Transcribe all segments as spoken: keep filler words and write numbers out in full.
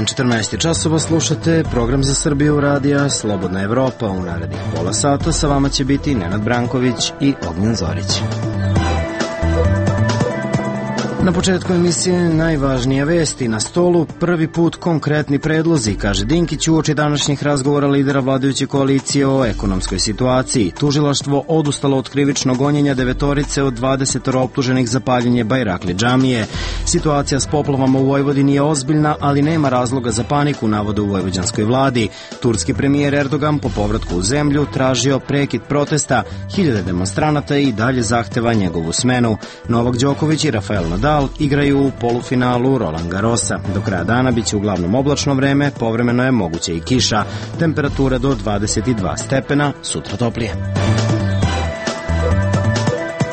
sedam četrnaest časova, slušate program za Srbiju radija Slobodna Evropa. U narednih pola sata sa vama će biti Nenad Branković i Ognjen Zorić. Na početku emisije najvažnije vesti. Na stolu prvi put konkretni predlozi, kaže Dinkić uoči današnjih razgovora lidera vladajuće koalicije o ekonomskoj situaciji. Tužilaštvo odustalo od krivičnog gonjenja devetorice od dvadeset optuženih za paljenje Bajrakli džamije. Situacija s poplavama u Vojvodini je ozbiljna, ali nema razloga za paniku, navode u vojvođanskoj vladi. Turski premijer Erdogan po povratku u zemlju tražio prekid protesta. Hiljade demonstranata i dalje zahteva njegovu smenu. Novak Đoković i Rafael Nadal igraju u polufinalu Roland Garrosa. Do kraja dana biće uglavnom oblačno vreme, povremeno je moguće i kiša. Temperatura do dvadeset dva stepena, sutra toplije.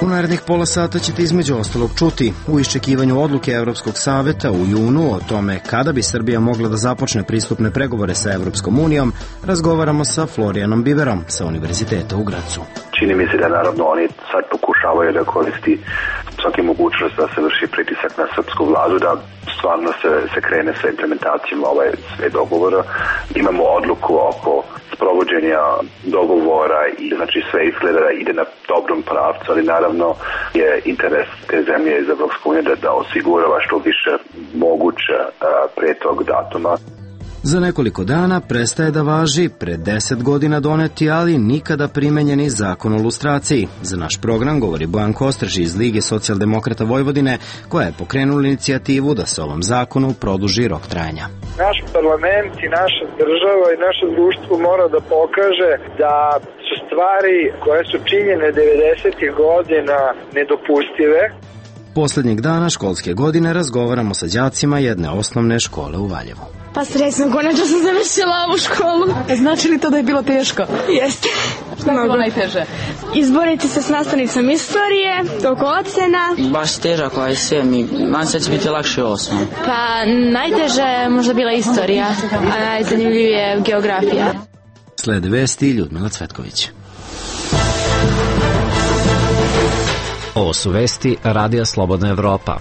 U narednih pola sata ćete između ostalog čuti u iščekivanju odluke Evropskog saveta u junu o tome kada bi Srbija mogla da započne pristupne pregovore sa Evropskom unijom, razgovaramo sa Florijanom Biberom sa Univerziteta u Gracu. Čini mi se da naravno oni sad pokušavaju da koristi svaki mogućnost da se vrši pritisak na srpsku vladu, da stvarno se, se krene sa implementacijom ovaj sve dogovora. Imamo odluku oko sprovođenja dogovora i znači sve izgleda da ide na dobrom pravcu, ali naravno je interes te zemlje iz Evropske unije da, da osigurava što više moguće a, pre tog datuma. Za nekoliko dana prestaje da važi pred deset godina doneti, ali nikada primenjeni zakon o lustraciji. Za naš program govori Bojan Kostreš iz Lige socijaldemokrata Vojvodine, koja je pokrenula inicijativu da se ovom zakonu produži rok trajanja. Naš parlament i naša država i naše društvo mora da pokaže da su stvari koje su činjene devedesetih godina nedopustive. Poslednjeg dana školske godine razgovaramo sa đacima jedne osnovne škole u Valjevu. Pa srećno, konačno sam završila ovu školu. Znači li to da je bilo teško? Jeste. Šta je bilo najteže? Izboriti se s nastavnicom istorije, oko ocena. Baš težak ovaj sve mi, nam se će biti lakše osam. Pa najteže je možda bila istorija, a najzanimljivije je geografija. Slede vesti Ljudmila Cvetković. Ovo su vesti Radija Slobodna Evropa.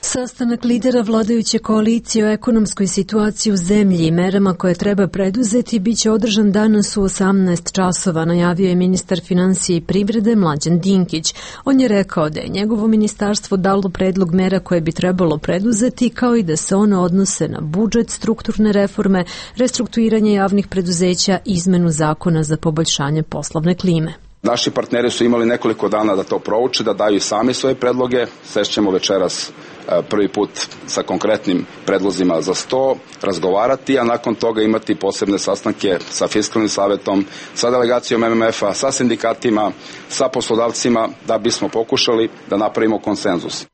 Sastanak lidera vladajuće koalicije o ekonomskoj situaciji u zemlji i merama koje treba preduzeti biće održan danas u osamnaest časova, najavio je ministar finansije i privrede Mlađan Dinkić. On je rekao da je njegovo ministarstvo dalo predlog mera koje bi trebalo preduzeti, kao i da se one odnose na budžet, strukturne reforme, restrukturiranje javnih preduzeća i izmenu zakona za poboljšanje poslovne klime. Naši partneri su imali nekoliko dana da to prouče, da daju sami svoje predloge. Sešćemo večeras prvi put sa konkretnim predlozima za sto, razgovarati, a nakon toga imati posebne sastanke sa Fiskalnim savetom, sa delegacijom M M F-a, sa sindikatima, sa poslodavcima, da bismo pokušali da napravimo konsenzus.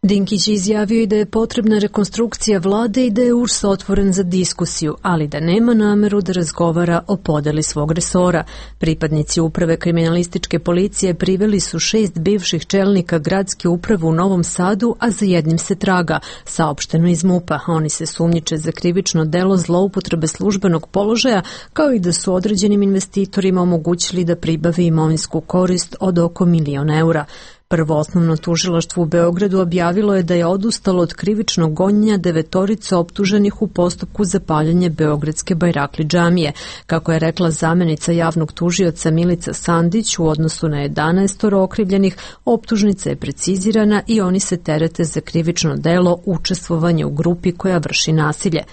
Dinkić izjavio i da je potrebna rekonstrukcija vlade i da je U R S otvoren za diskusiju, ali da nema nameru da razgovara o podeli svog resora. Pripadnici uprave kriminalističke policije priveli su šest bivših čelnika gradske uprave u Novom Sadu, a za jednim se traga, saopšteno iz MUP-a. Oni se sumnjiče za krivično delo zloupotrebe službenog položaja, kao i da su određenim investitorima omogućili da pribavi imovinsku korist od oko milion eura. Prvo osnovno tužilaštvo u Beogradu objavilo je da je odustalo od krivičnog gonjenja devetorice optuženih u postupku za paljenje beogradske Bajrakli džamije. Kako je rekla zamenica javnog tužioca Milica Sandić, u odnosu na jedanaest okrivljenih, optužnica je precizirana i oni se terete za krivično delo učestvovanje u grupi koja vrši nasilje.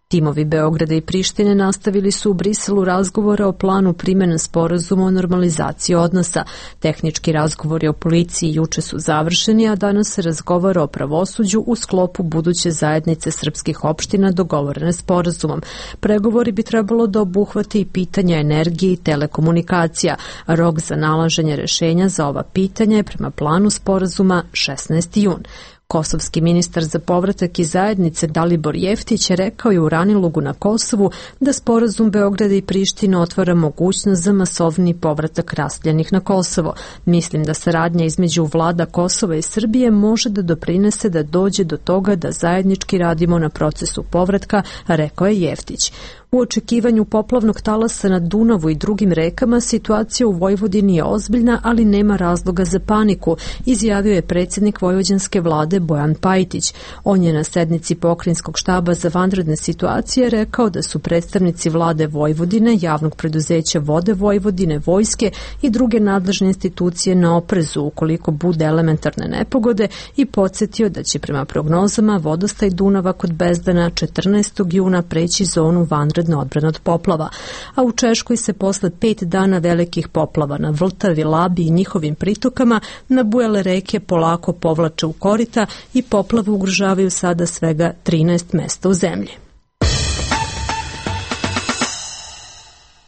Timovi Beograda i Prištine nastavili su u Briselu razgovore o planu primjene sporazuma o normalizaciji odnosa. Tehnički razgovori o policiji juče su završeni, a danas se razgovara o pravosuđu u sklopu buduće zajednice srpskih opština dogovorene sporazumom. Pregovori bi trebalo da obuhvate i pitanja energije i telekomunikacija. Rok za nalaženje rešenja za ova pitanja je prema planu sporazuma šesnaesti jun. Kosovski ministar za povratak i zajednice Dalibor Jeftić je rekao i u Ranilugu na Kosovu da sporazum Beograda i Prištine otvara mogućnost za masovni povratak raseljenih na Kosovo. Mislim da saradnja između vlada Kosova i Srbije može da doprinese da dođe do toga da zajednički radimo na procesu povratka, rekao je Jeftić. U očekivanju poplavnog talasa na Dunavu i drugim rekama situacija u Vojvodini je ozbiljna, ali nema razloga za paniku, izjavio je predsjednik vojvođanske vlade Bojan Pajtić. On je na sednici pokrajinskog štaba za vanredne situacije rekao da su predstavnici vlade Vojvodine, javnog preduzeća Vode Vojvodine, vojske i druge nadležne institucije na oprezu ukoliko bude elementarne nepogode i podsjetio da će prema prognozama vodostaj Dunava kod Bezdana četrnaestog juna preći zonu vanredne odbrane od poplava, a u Češkoj se posle pet dana velikih poplava na Vltavi, Labi i njihovim pritokama nabujale reke polako povlače u korita i poplave ugrožavaju sada svega trinaest mesta u zemlji.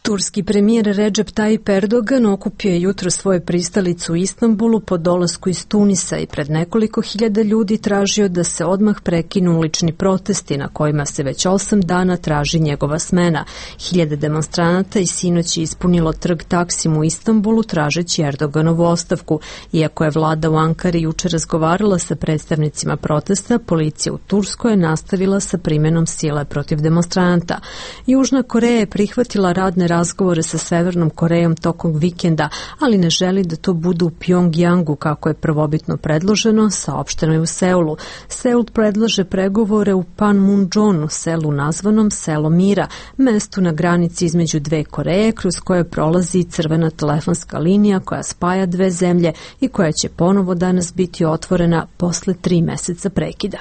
Turski premijer Recep Tayyip Erdogan okupio je jutro svoju pristalicu u Istanbulu po dolasku iz Tunisa i pred nekoliko hiljada ljudi tražio da se odmah prekinu ulični protesti na kojima se već osam dana traži njegova smena. Hiljade demonstranata i sinoć je ispunilo trg Taksim u Istanbulu tražeći Erdoganovu ostavku. Iako je vlada u Ankari juče razgovarala sa predstavnicima protesta, policija u Turskoj je nastavila sa primenom sile protiv demonstranata. Južna Koreja je prihvatila radne razgovore sa Severnom Korejom tokom vikenda, ali ne želi da to bude u Pjongjangu kako je prvobitno predloženo, saopšteno je u Seulu. Seul predlaže pregovore u Panmunjonu, selu nazvanom Selo mira, mestu na granici između dve Koreje kroz koje prolazi crvena telefonska linija koja spaja dve zemlje i koja će ponovo danas biti otvorena posle tri meseca prekida.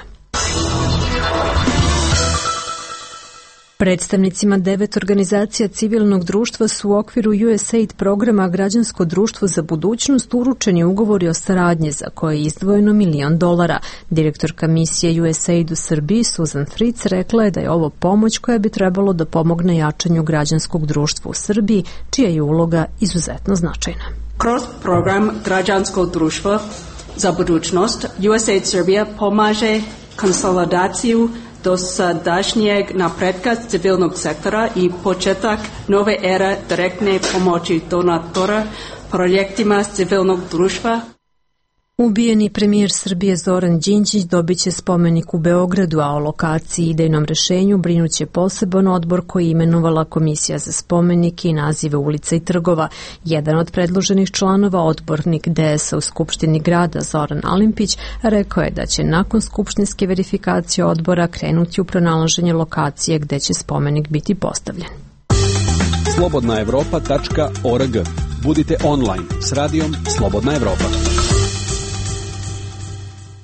Predstavnicima devet organizacija civilnog društva su u okviru U S A I D programa Građansko društvo za budućnost uručeni ugovori o saradnji za koje je izdvojeno milion dolara. Direktorka misije U S A I D u Srbiji Susan Fritz rekla je da je ovo pomoć koja bi trebalo da pomogne jačanju građanskog društva u Srbiji, čija je uloga izuzetno značajna. Kroz program Građansko društvo za budućnost U S A I D Srbija pomaže konsolidaciju dosadašnjeg napretka civilnog sektora i početak nove ere direktne pomoći donatora projektima civilnog društva. Ubijeni premijer Srbije Zoran Đinđić dobit će spomenik u Beogradu, a o lokaciji i idejnom rešenju brinuće poseban odbor koji je imenovala Komisija za spomenike i nazive ulica i trgova. Jedan od predloženih članova, odbornik D S A u Skupštini grada Zoran Alimpić, rekao je da će nakon skupštinske verifikacije odbora krenuti u pronalaženje lokacije gde će spomenik biti postavljen. slobodna evropa tačka org. Budite online s radijom Slobodna Evropa.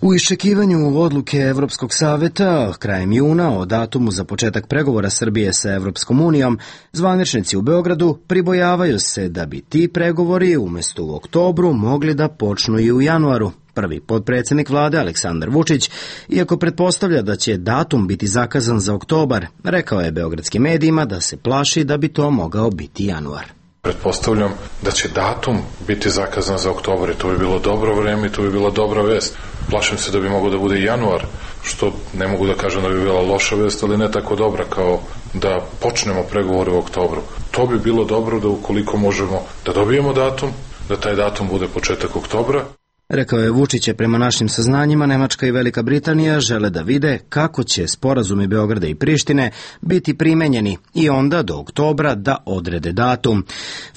U iščekivanju odluke Evropskog saveta krajem juna o datumu za početak pregovora Srbije sa Evropskom unijom, zvaničnici u Beogradu pribojavaju se da bi ti pregovori umesto u oktobru mogli da počnu i u januaru. Prvi potpredsjednik vlade Aleksandar Vučić, iako pretpostavlja da će datum biti zakazan za oktobar, rekao je beogradskim medijima da se plaši da bi to mogao biti januar. Pretpostavljam da će datum biti zakazan za oktobar i to bi bilo dobro vreme i to bi bila dobra vest. Plašim se da bi mogao da bude i januar, što ne mogu da kažem da bi bila loša vest, ali ne tako dobra kao da počnemo pregovore u oktobru. To bi bilo dobro da ukoliko možemo da dobijemo datum, da taj datum bude početak oktobra. Rekao je Vučić je prema našim saznanjima Nemačka i Velika Britanija žele da vide kako će sporazumi Beograda i Prištine biti primenjeni i onda do oktobra da odrede datum.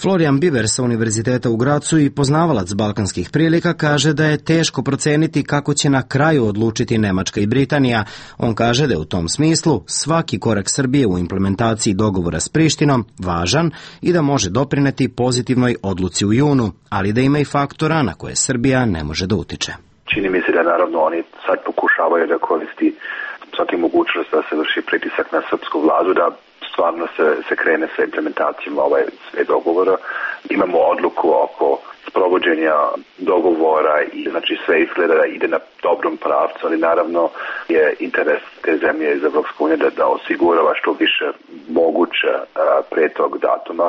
Florian Biber sa Univerziteta u Gracu i poznavalac balkanskih prilika kaže da je teško proceniti kako će na kraju odlučiti Nemačka i Britanija. On kaže da je u tom smislu svaki korak Srbije u implementaciji dogovora s Prištinom važan i da može doprineti pozitivnoj odluci u junu, ali da ima i faktora na koje Srbija ne može da utiče. Čini mi se da naravno oni sad pokušavaju da koristi svaki mogućnost da se vrši pritisak na srpsku vladu, da stvarno se, se krene sa implementacijom ovaj sve dogovora. Imamo odluku oko sprovođenja dogovora i znači sve izgleda da ide na dobrom pravcu, ali naravno je interes te zemlje iz Evropske unije da, da osigurava što više moguće a, pre tog datuma.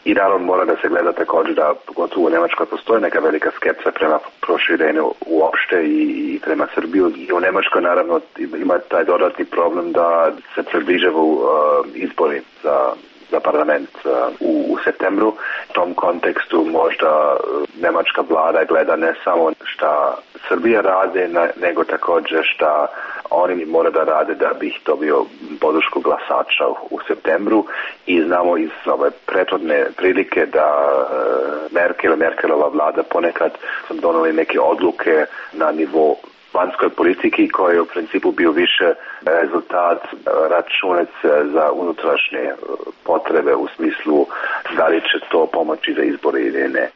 I naravno mora da se gleda također da pogotovo u Nemačkoj postoji neka velika skepsa prema proširenju uopšte i, i prema Srbiju. I u Nemačkoj naravno ima taj dodatni problem da se približavaju uh, izbori za za parlament u, u septembru. U tom kontekstu možda nemačka vlada gleda ne samo šta Srbija rade, nego također šta oni mora da rade da bi ih dobio podršku glasača u septembru i znamo iz ove prethodne prilike da Merkel, Merkelova vlada ponekad su doneli neke odluke na nivou vanjskoj politiki koji je u principu bio više rezultat računac za unutrašnje potrebe u smislu da li će to pomoći za izbore ili ne.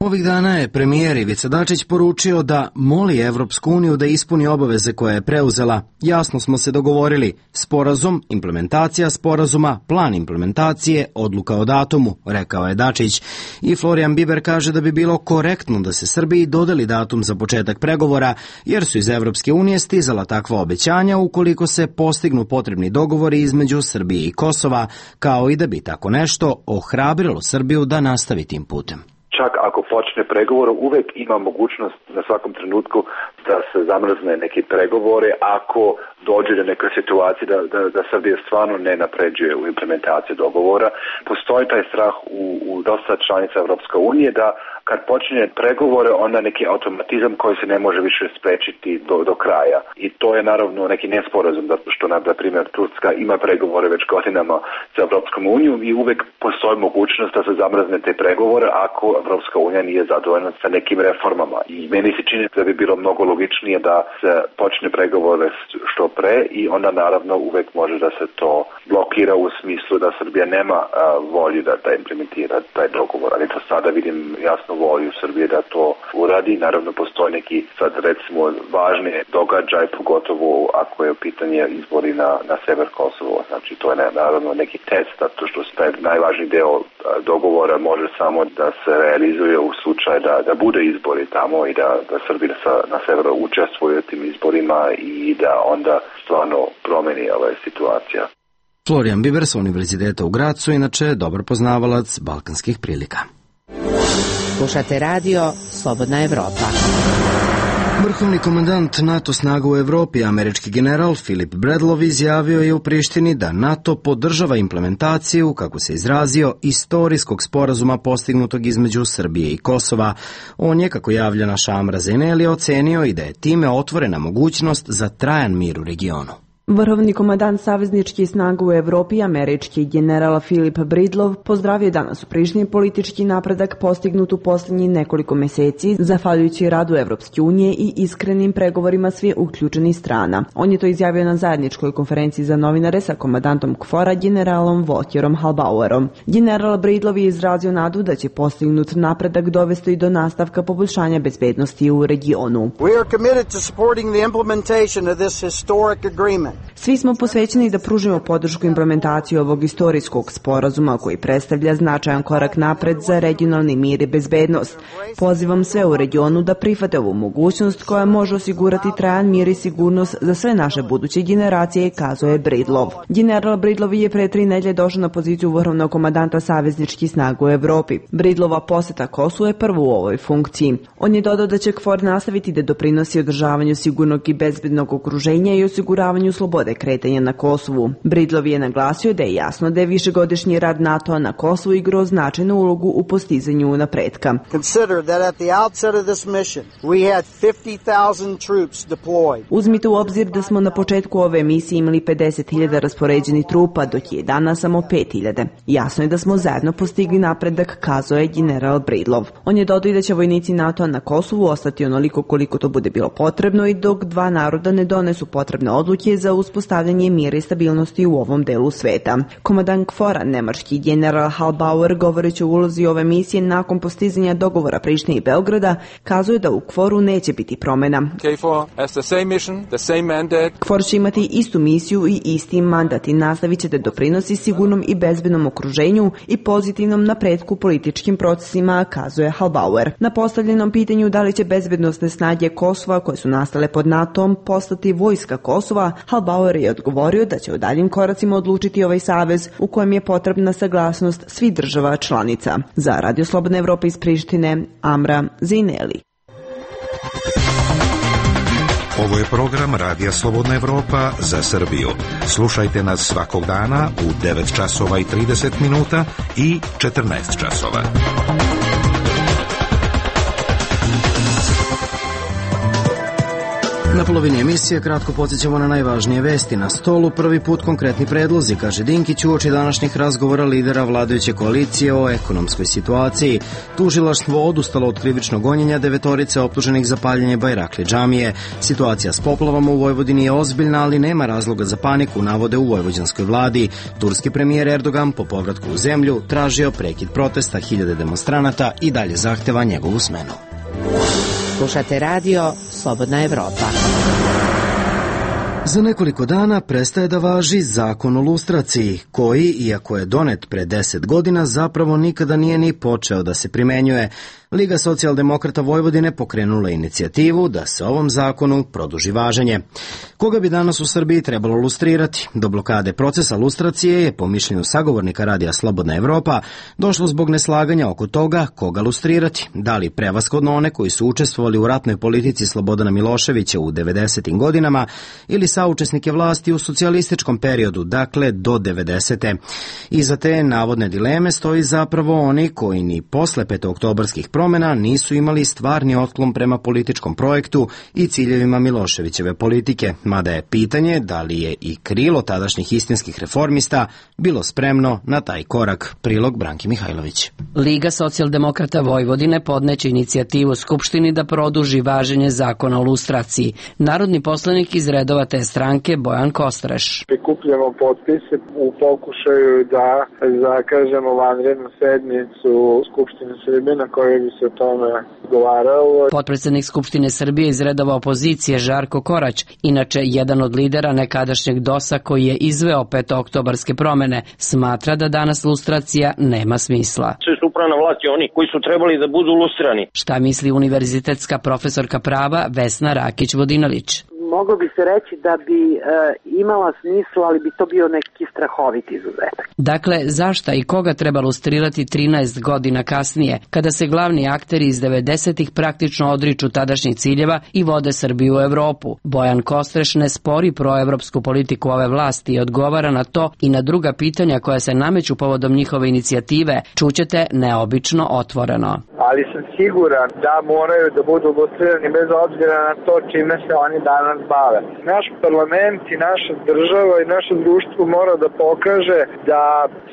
Ovih dana je premijer Ivica Dačić poručio da moli Evropsku uniju da ispuni obaveze koje je preuzela. Jasno smo se dogovorili. Sporazum, implementacija sporazuma, plan implementacije, odluka o datumu, rekao je Dačić. I Florian Biber kaže da bi bilo korektno da se Srbiji dodeli datum za početak pregovora, jer su iz Evropske unije stizala takva obećanja ukoliko se postignu potrebni dogovori između Srbije i Kosova, kao i da bi tako nešto ohrabrilo Srbiju da nastavi tim putem. Čak ako počne pregovor, uvek ima mogućnost na svakom trenutku da se zamrzne neki pregovore ako dođe do neke situacije da, da, da Srbija stvarno ne napređuje u implementaciji dogovora. Postoji taj strah u, u dosta članica Evropske unije da kad počinje pregovore, onda neki automatizam koji se ne može više sprečiti do, do kraja. I to je naravno neki nesporazum, zato što, na primjer, Turska ima pregovore već godinama sa Evropskom unijom i uvek postoji mogućnost da se zamrzne te pregovore ako Evropska unija nije zadovoljna sa nekim reformama. I meni se čini da bi bilo mnogo logičnije da se počne pregovore što pre i onda naravno uvek može da se to blokira u smislu da Srbija nema a, volju da, da implementira taj dogovor. Ali to sada vidim jasno volju Srbije da to uradi. Naravno postoji neki sad recimo važni događaj, pogotovo ako je u pitanje izbori na, na sever Kosovo. Znači to je naravno neki test, zato što taj najvažniji deo dogovora može samo da se realizuje u slučaju da, da bude izbori tamo i da, da Srbija sa, na severu učestvuje u tim izborima i da onda stvarno promeni ova situacija. Florian Biber sa Univerziteta u Gracu, inače dobar poznavalac balkanskih prilika. Slušate radio Slobodna Evropa. Vrhovni komandant NATO snaga u Evropi, američki general Filip Bredlov, izjavio je u Prištini da NATO podržava implementaciju, kako se izrazio, istorijskog sporazuma postignutog između Srbije i Kosova. On je, kako javlja naša Amra Zeneli, ocenio i da je time otvorena mogućnost za trajan mir u regionu. Vrhovni komandant savezničkih snaga u Evropi, američki general Filip Bredlov, pozdravio danas u Prištini politički napredak postignut u posljednjih nekoliko meseci, zahvaljujući radu Evropske unije i iskrenim pregovorima svih uključenih strana. On je to izjavio na zajedničkoj konferenciji za novinare sa komandantom KFOR-a, generalom Volkerom Halbauerom. General Bredlov je izrazio nadu da će postignut napredak dovesti do nastavka poboljšanja bezbednosti u regionu. We are committed to supporting the implementation of this historic agreement. Svi smo posvećeni da pružimo podršku implementaciji ovog istorijskog sporazuma koji predstavlja značajan korak napred za regionalni mir i bezbednost. Pozivam sve u regionu da prihvate ovu mogućnost koja može osigurati trajan mir i sigurnost za sve naše buduće generacije, kazuje Bredlov. General Bredlov je pre tri nedelje došao na poziciju vrhovnog komandanta savezničkih snaga u Evropi. Bredlova poseta Kosovu je prvo u ovoj funkciji. On je dodao da će KFOR nastaviti da doprinosi održavanju sigurnog i bezbednog okruženja i osiguravanju slobode kretanja na Kosovu. Bredlov je naglasio da je jasno da je višegodišnji rad NATO-a na Kosovu igrao značajnu ulogu u postizanju napretka. Uzmite u obzir da smo na početku ove misije imali pedeset hiljada raspoređenih trupa, dok je danas samo pet hiljada. Jasno je da smo zajedno postigli napredak, kazao je general Bredlov. On je dodao i da će vojnici NATO-a na Kosovu ostati onoliko koliko to bude bilo potrebno i dok dva naroda ne donesu potrebne odluke za uspostavljanje mira i stabilnosti u ovom delu sveta. Komandant KFOR-a, nemački general Halbauer, govoreći o ulozi ove misije nakon postizanja dogovora Prištine i Beograda, kazuje da u KFOR-u neće biti promjena. KFOR će imati istu misiju i isti mandat i nastavit će da doprinosi sigurnom i bezbednom okruženju i pozitivnom napretku političkim procesima, kazuje Halbauer. Na postavljenom pitanju da li će bezbednosne snage Kosova, koje su nastale pod NATO-om, postati vojska Kosova, Halbauer je odgovorio da će u daljim koracima odlučiti ovaj savez u kojem je potrebna saglasnost svih država članica. Za Radio Slobodna Evropa iz Prištine, Amra Zineli. Ovo je program Radija Slobodna Evropa za Srbiju. Slušajte nas svakog dana u devet časova i trideset minuta i četrnaest časova. Na polovini emisije kratko podsjećamo na najvažnije vesti. Na stolu prvi put konkretni predlozi, kaže Dinkić uoči današnjih razgovora lidera vladajuće koalicije o ekonomskoj situaciji. Tužilaštvo odustalo od krivičnog gonjenja devetorice optuženih za paljenje Bajrakli džamije. Situacija s poplavama u Vojvodini je ozbiljna, ali nema razloga za paniku, navode u vojvođanskoj vladi. Turski premijer Erdogan po povratku u zemlju tražio prekid protesta hiljade demonstranata i dalje zahteva njegovu smenu. Slušate radio Slobodna Evropa. Za nekoliko dana prestaje da važi zakon o lustraciji, koji, iako je donet pre deset godina, zapravo nikada nije ni počeo da se primenjuje. Liga socijaldemokrata Vojvodine pokrenula inicijativu da se ovom zakonu produži važenje. Koga bi danas u Srbiji trebalo lustrirati? Do blokade procesa lustracije je, po mišljenju sagovornika radija Slobodna Evropa, došlo zbog neslaganja oko toga koga lustrirati. Da li prevashodno one koji su učestvovali u ratnoj politici Slobodana Miloševića u devedesetim godinama ili saučesnike vlasti u socijalističkom periodu, dakle do devedesete. Iza te navodne dileme stoji zapravo oni koji ni posle petooktobarskih promjena nisu imali stvarni otklon prema političkom projektu i ciljevima Miloševićeve politike, mada je pitanje da li je i krilo tadašnjih istinskih reformista bilo spremno na taj korak. Prilog Branki Mihajlović. Liga socijaldemokrata Vojvodine podneće inicijativu Skupštini da produži važenje zakona o lustraciji. Narodni poslanik iz redova te stranke Bojan Kostreš. Prikupljamo potpise u pokušaju da zakažemo vanrednu sednicu Skupštine Srbije na kojoj bi se o tome govaralo. Potpredsednik Skupštine Srbije iz redova opozicije Žarko Korać, inače jedan od lidera nekadašnjeg dosa koji je izveo petooktobarske promene, smatra da danas lustracija nema smisla. Sve su upravna vlast i oni koji su trebali da budu lustrani. Šta misli univerzitetska profesorka prava Vesna Rakić-Vodinalić? Moglo bi se reći da bi e, imala smisla, ali bi to bio neki strahovit izuzetak. Dakle, zašta i koga treba lustrirati trinaest godina kasnije, kada se glavni akteri iz devedesetih praktično odriču tadašnjih ciljeva i vode Srbiju u Evropu? Bojan Kostreš ne spori proevropsku politiku ove vlasti i odgovara na to i na druga pitanja koja se nameću povodom njihove inicijative. Čućete neobično otvoreno. Ali sam siguran da moraju da budu lustrirani bez obzira na to čime se oni danas bave. Naš parlament i naša država i naše društvo mora da pokaže da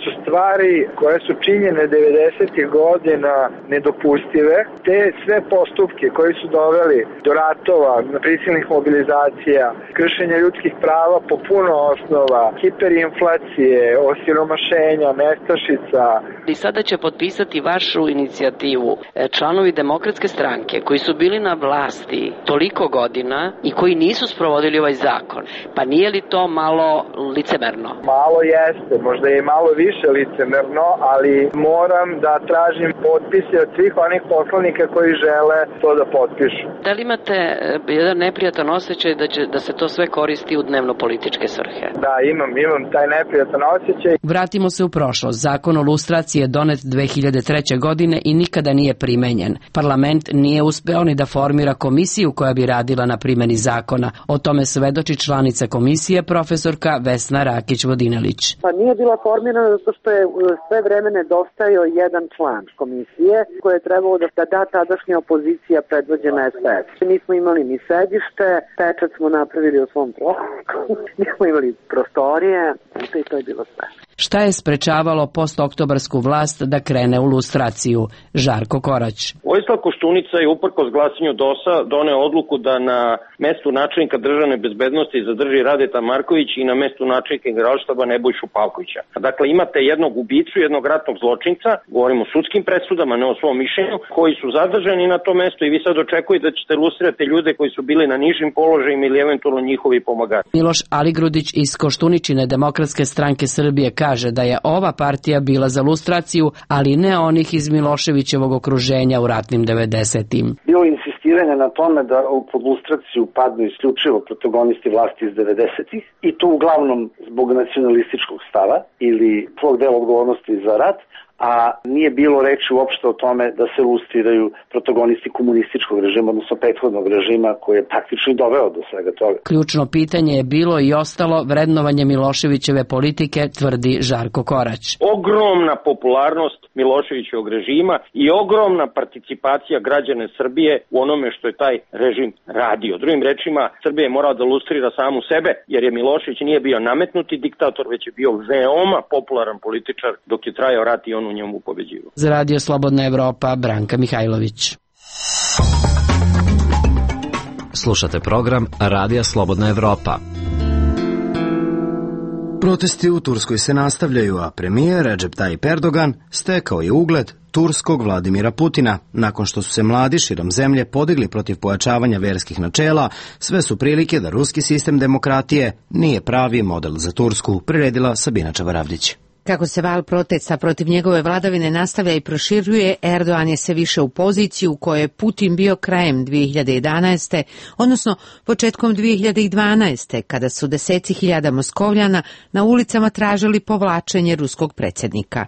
su stvari koje su činjene devedesetih godina nedopustive. Te sve postupke koji su doveli do ratova, prisilnih mobilizacija, kršenja ljudskih prava po puno osnova, hiperinflacije, osiromašenja, nestašica. I sada će potpisati vašu inicijativu članovi Demokratske stranke koji su bili na vlasti toliko godina i koji nisu sprovodili ovaj zakon. Pa nije li to malo licemerno? Malo jeste, možda je malo više licemerno, ali moram da tražim potpise od svih onih poslanika koji žele to da potpišu. Da li imate jedan neprijatan osjećaj da, će, da se to sve koristi u dnevno-političke svrhe? Da, imam, imam taj neprijatan osjećaj. Vratimo se u prošlost. Zakon o lustraciji je donet dve hiljade treće. godine i nikada nije primenjen. Parlament nije uspeo ni da formira komisiju koja bi radila na primjeni zakona. O tome svedoči članica komisije profesorka Vesna Rakić-Vodinalić. Pa nije bila formirana zato što je sve vreme nedostajao jedan član komisije koje je trebalo da da tadašnja opozicija predvođena es pe es. Nismo imali ni sedište, pečat smo napravili u svom trošku, nismo imali prostorije i to je bilo sve. Šta je sprečavalo postoktobarsku vlast da krene u lustraciju? Žarko Korać. Vojislav Koštunica je uprkos glasanju dosa doneo odluku da na mestu načelnika državne bezbednosti zadrži Radeta Marković i na mestu načelnika generalštaba Nebojšu Pavkovića. Dakle, imate jednog ubicu, jednog ratnog zločinca, govorimo o sudskim presudama, ne o svom mišljenju, koji su zadržani na to mesto i vi sad očekujete da ćete lustrirati ljude koji su bili na nižim položajima ili eventualno njihovi pomagači. Miloš Aligrudić iz Koštuničine Demokratske stranke Srbije kaže da je ova partija bila za lustraciju, ali ne onih iz Miloševićevog okruženja u ratnim devedesetim. Bilo insistiranje na tome da pod lustraciju padnu isključivo protagonisti vlasti iz devedesetih i to uglavnom zbog nacionalističkog stava ili svog dela odgovornosti za rat, a nije bilo reči uopšte o tome da se lustriraju protagonisti komunističkog režima, odnosno prethodnog režima koji je praktično i doveo do svega toga. Ključno pitanje je bilo i ostalo vrednovanje Miloševićeve politike, tvrdi Žarko Korać. Ovog ogromna popularnost Miloševićevog režima i ogromna participacija građane Srbije u onome što je taj režim radio. Drugim rečima, Srbija je morala da lustrira samu sebe, jer je Milošević nije bio nametnuti diktator, već je bio veoma popularan političar dok je trajao rat i on u njemu pobeđivao. Za Radio Slobodna Evropa, Branka Mihajlović. Slušate program Radija Slobodna Evropa. Protesti u Turskoj se nastavljaju, a premijer Recep Tayyip Erdogan stekao je ugled turskog Vladimira Putina. Nakon što su se mladi širom zemlje podigli protiv pojačavanja verskih načela, sve su prilike da ruski sistem demokratije nije pravi model za Tursku, priredila Sabina Čavaravdić. Kako se val protesta protiv njegove vladavine nastavlja i proširuje, Erdogan je sve više u poziciju u kojoj je Putin bio krajem dvije hiljade jedanaeste. odnosno početkom dvije hiljade dvanaeste. kada su deseci hiljada Moskovljana na ulicama tražili povlačenje ruskog predsjednika.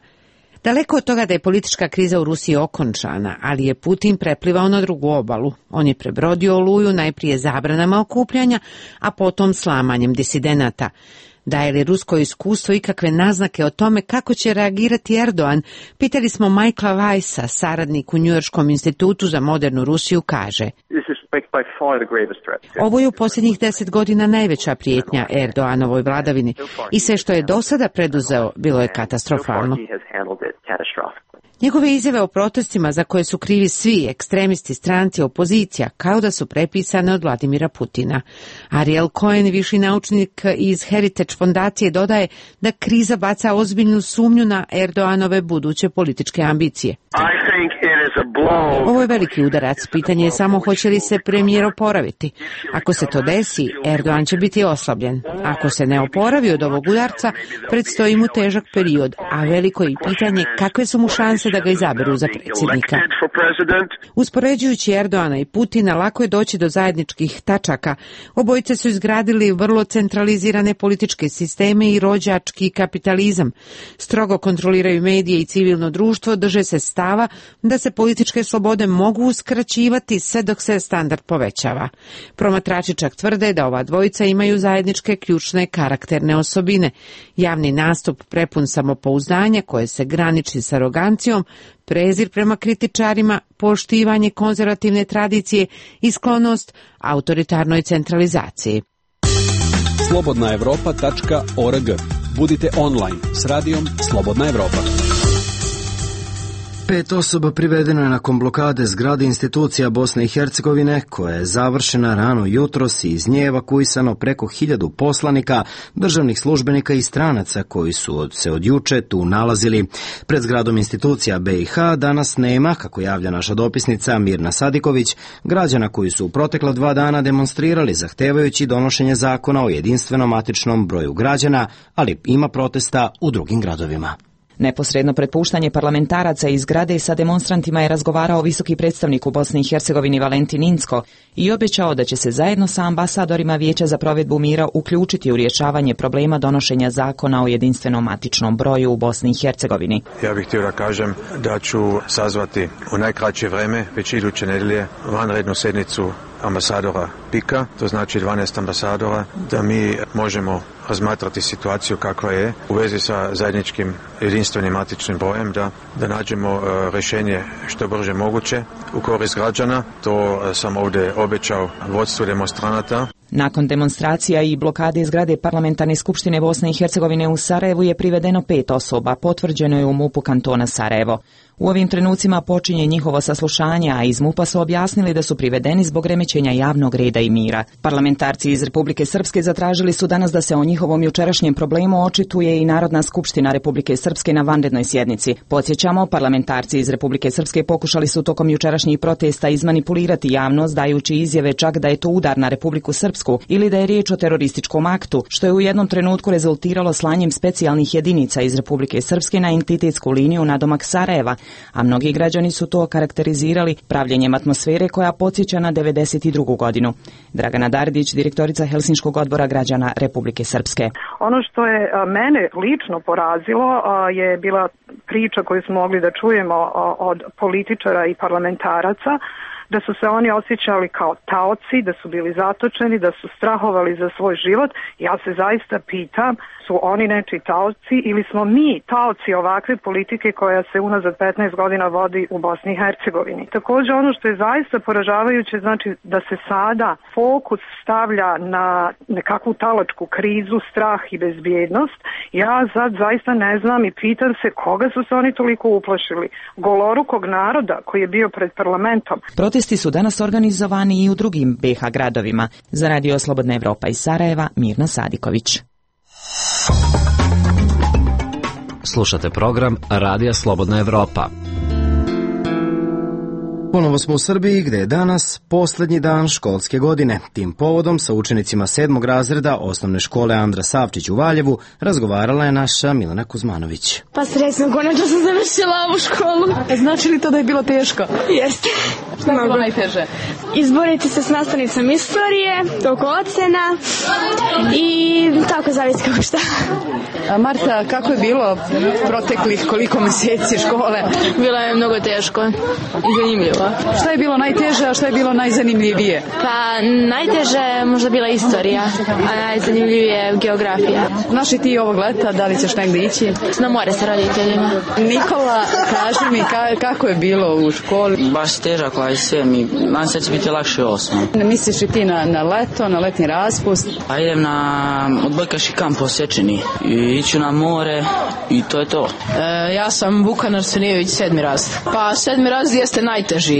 Daleko od toga da je politička kriza u Rusiji okončana, ali je Putin preplivao na drugu obalu. On je prebrodio Oluju najprije zabranama okupljanja, a potom slamanjem disidenata. Daje li rusko iskustvo ikakve naznake o tome kako će reagirati Erdogan? Pitali smo Michaela Weissa, saradnik u Njujorškom institutu za modernu Rusiju, kaže: Ovo je u posljednjih deset godina najveća prijetnja Erdoganovoj vladavini i sve što je do sada preduzeo bilo je katastrofalno. Njegove izjave o protestima za koje su krivi svi ekstremisti, stranci, opozicija, kao da su prepisane od Vladimira Putina. Ariel Cohen, viši naučnik iz Heritage fondacije, dodaje da kriza baca ozbiljnu sumnju na Erdoganove buduće političke ambicije. Ovo je veliki udarac. Pitanje je samo hoće li se premijer oporaviti. Ako se to desi, Erdogan će biti oslabljen. Ako se ne oporavi od ovog udarca, predstoji mu težak period, a veliko je pitanje kakve su mu šanse da ga izaberu za predsjednika. Uspoređujući Erdogana i Putina, lako je doći do zajedničkih tačaka. Obojice su izgradili vrlo centralizirane političke sisteme i rođački kapitalizam. Strogo kontroliraju medije i civilno društvo, drže se stava da se političke slobode mogu uskraćivati sve dok se standard povećava. Promatrači čak tvrde da ova dvojica imaju zajedničke ključne karakterne osobine. Javni nastup prepun samopouzdanja koje se graniči s arogancijom, prezir prema kritičarima, poštivanje konzervativne tradicije i sklonost autoritarnoj centralizaciji. slobodna evropa tačka org. Budite online s radijom Slobodna Evropa. Pet osoba privedeno je nakon blokade zgrade institucija Bosne i Hercegovine, koja je završena rano jutros i iz nje evakuisano preko hiljadu poslanika, državnih službenika i stranaca koji su od, se od juče tu nalazili. Pred zgradom institucija B i H danas nema, kako javlja naša dopisnica Mirna Sadiković, građana koji su u protekla dva dana demonstrirali zahtevajući donošenje zakona o jedinstvenom matičnom broju građana, ali ima protesta u drugim gradovima. Neposredno pred puštanje parlamentaraca iz zgrade sa demonstrantima je razgovarao visoki predstavnik u Bosni i Hercegovini Valentin Incko i obećao da će se zajedno sa ambasadorima Vijeća za provedbu mira uključiti u rješavanje problema donošenja zakona o jedinstvenom matičnom broju u Bosni i Hercegovini. Ja bih htio da kažem da ću sazvati u najkraće vreme, već iduće nedelje, vanrednu sednicu ambasadora Pika, to znači dvanaest ambasadora, da mi možemo razmatrati situaciju kakva je u vezi sa zajedničkim jedinstvenim matičnim brojem, da, da nađemo uh, rješenje što brže moguće u korist građana. To uh, sam ovdje obećao vodstvu demonstranata. Nakon demonstracija i blokade zgrade Parlamentarne skupštine Bosne i Hercegovine u Sarajevu je privedeno pet osoba, potvrđeno je u MUP-u kantona Sarajevo. U ovim trenucima počinje njihovo saslušanje, a iz MUP-a su objasnili da su privedeni zbog remećenja javnog reda i mira. Parlamentarci iz Republike Srpske zatražili su danas da se o njihovom jučerašnjem problemu očituje i Narodna skupština Republike Srpske na vanrednoj sjednici. Podsjećamo, parlamentarci iz Republike Srpske pokušali su tokom jučerašnjih protesta izmanipulirati javnost, dajući izjave čak da je to udar na Republiku Srpsku ili da je riječ o terorističkom aktu, što je u jednom trenutku rezultiralo slanjem specijalnih jedinica iz Republike Srpske na entitetsku liniju nadomak Sarajeva, a mnogi građani su to karakterizirali pravljenjem atmosfere koja podsjeća na devedeset drugu godinu. Dragana Dardić, direktorica Helsinškog odbora građana Republike Srpske. Ono što je mene lično porazilo je bila priča koju smo mogli da čujemo od političara i parlamentaraca, da su se oni osjećali kao taoci, da su bili zatočeni, da su strahovali za svoj život. Ja se zaista pitam, su oni nečiji taoci ili smo mi taoci ovakve politike koja se unazad petnaest godina vodi u Bosni i Hercegovini. Također ono što je zaista poražavajuće, znači da se sada fokus stavlja na nekakvu talačku krizu, strah i bezbjednost. Ja sad zaista ne znam i pitam se koga su se oni toliko uplašili. Golorukog naroda koji je bio pred parlamentom. Protesti su danas organizovani i u drugim B iH gradovima. Za Radio Slobodna Evropa iz Sarajeva, Mirna Sadiković. Slušate program Radija Slobodna Evropa. Ponovo smo u Srbiji gde je danas poslednji dan školske godine. Tim povodom sa učenicima sedmog razreda osnovne škole Andra Savčić u Valjevu razgovarala je naša Milena Kuzmanović. Pa srećno, konačno sam završila ovu školu. A znači li to da je bilo teško? Jeste. Šta je bilo najteže? Izboriti se s nastavnicom istorije, oko ocena i tako zavisi kako šta. A Marta, kako je bilo proteklih koliko meseci škole? Bilo je mnogo teško i zanimljivo. Šta je bilo najteže, a šta je bilo najzanimljivije? Pa najteže je možda bila istorija, a najzanimljivije geografija. Znaš li ti ovog leta, da li ćeš negdje ići? Na more sa roditeljima. Nikola, kaži mi ka, kako je bilo u školi? Baš težak ovaj sve, mi, nam se će biti lakše osmo. Misliš li ti na, na leto, na letni raspust? Pa idem na odbojkaški kamp u Osečini i iću na more i to je to. E, ja sam Vukan Arsenijević, sedmi razred. Pa sedmi razred jeste najteži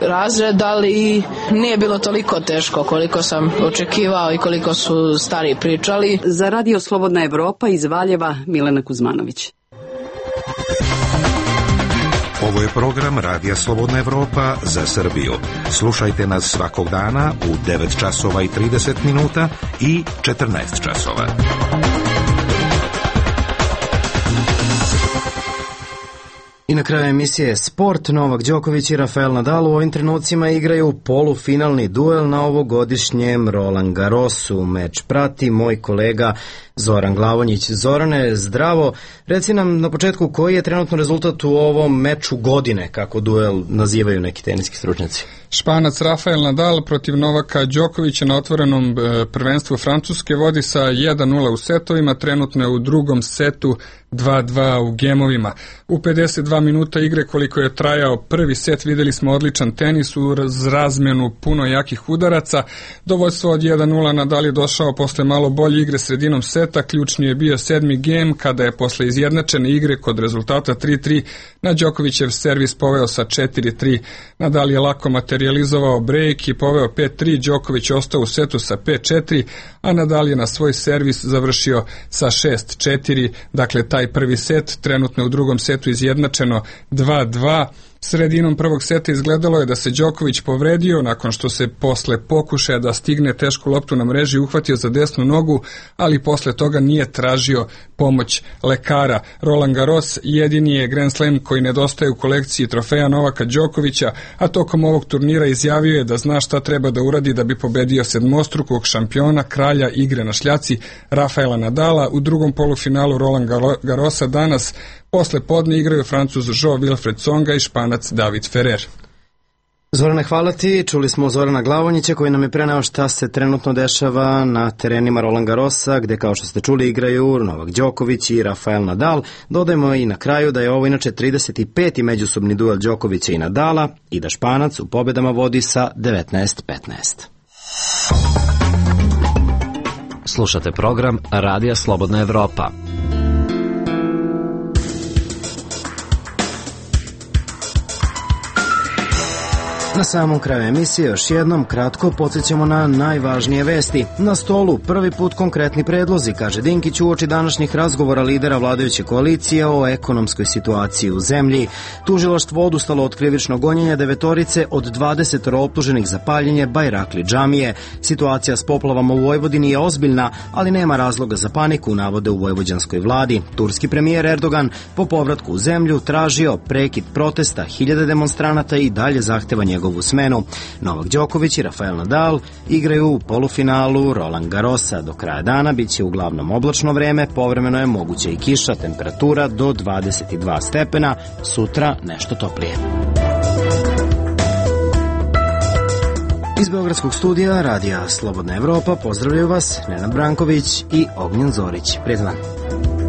razred, ali nije bilo toliko teško koliko sam očekivao i koliko su stari pričali. Za Radio Slobodna Evropa iz Valjeva, Milena Kuzmanović. Ovo je program Radija Slobodna Evropa za Srbiju. Slušajte nas svakog dana u devet časova i trideset minuta i četrnaest časova. I na kraju emisije Sport, Novak Đoković i Rafael Nadal u ovim trenucima igraju polufinalni duel na ovogodišnjem Roland Garrosu. Meč prati moj kolega Zoran Glavonjić. Zorane, zdravo. Reci nam na početku koji je trenutno rezultat u ovom meču godine, kako duel nazivaju neki teniski stručnjaci. Španac Rafael Nadal protiv Novaka Đokovića na otvorenom prvenstvu Francuske vodi sa jedan nula u setovima, trenutno je u drugom setu dva dva u gemovima. U pedeset dva minuta igre koliko je trajao prvi set videli smo odličan tenis uz razmenu puno jakih udaraca. Do vođstva od jedan nula Nadal je došao posle malo bolje igre sredinom seta, ključni je bio sedmi gem kada je posle izjednačene igre kod rezultata tri tri na Đokovićev servis poveo sa četiri tri. Nadal je lako materializovao break i poveo pet tri, Đoković ostao u setu sa pet četiri, a Nadal je na svoj servis završio sa šest četiri, dakle taj prvi set, trenutno u drugom setu izjednačeno dva dva. Sredinom prvog seta izgledalo je da se Đoković povredio nakon što se posle pokušaja da stigne tešku loptu na mreži uhvatio za desnu nogu, ali posle toga nije tražio pomoć lekara. Roland Garros jedini je Grand Slam koji nedostaje u kolekciji trofeja Novaka Đokovića, a tokom ovog turnira izjavio je da zna šta treba da uradi da bi pobedio sedmostrukog šampiona, kralja igre na šljaci Rafaela Nadala. U drugom polufinalu Roland Garrosa danas posle podne igraju Francuz Jean-Wilfried Tsonga i Španac David Ferrer. Zorane, hvala ti. Čuli smo Zorana Glavonjića koji nam je preneo šta se trenutno dešava na terenima Roland Garrosa, gde kao što ste čuli igraju Novak Đoković i Rafael Nadal. Dodajmo i na kraju da je ovo inače trideset peti međusobni duel Đokovića i Nadala i da Španac u pobedama vodi sa devetnaest petnaest. Slušate program Radija Slobodna Evropa. Na samom kraju emisije još jednom kratko podsjećamo na najvažnije vesti. Na stolu prvi put konkretni predlozi, kaže Dinkić uoči današnjih razgovora lidera vladajuće koalicije o ekonomskoj situaciji u zemlji. Tužilaštvo odustalo od krivičnog gonjenja devetorice od dvadeset optuženih za paljenje Bajrakli džamije. Situacija s poplavama u Vojvodini je ozbiljna, ali nema razloga za paniku, navode u vojvođanskoj vladi. Turski premijer Erdogan po povratku u zemlju tražio prekid protesta, hiljade demonstranata i dalje zahteva njegovu smenu. Novak Đoković i Rafael Nadal igraju u polufinalu Roland Garrosa. Do kraja dana biće uglavnom oblačno vreme, povremeno je moguća i kiša, temperatura do dvadeset dva stepena, sutra nešto toplije. Iz Beogradskog studija Radija Slobodna Evropa pozdravljaju vas Nenad Branković i Ognjen Zorić. Prijetan dan.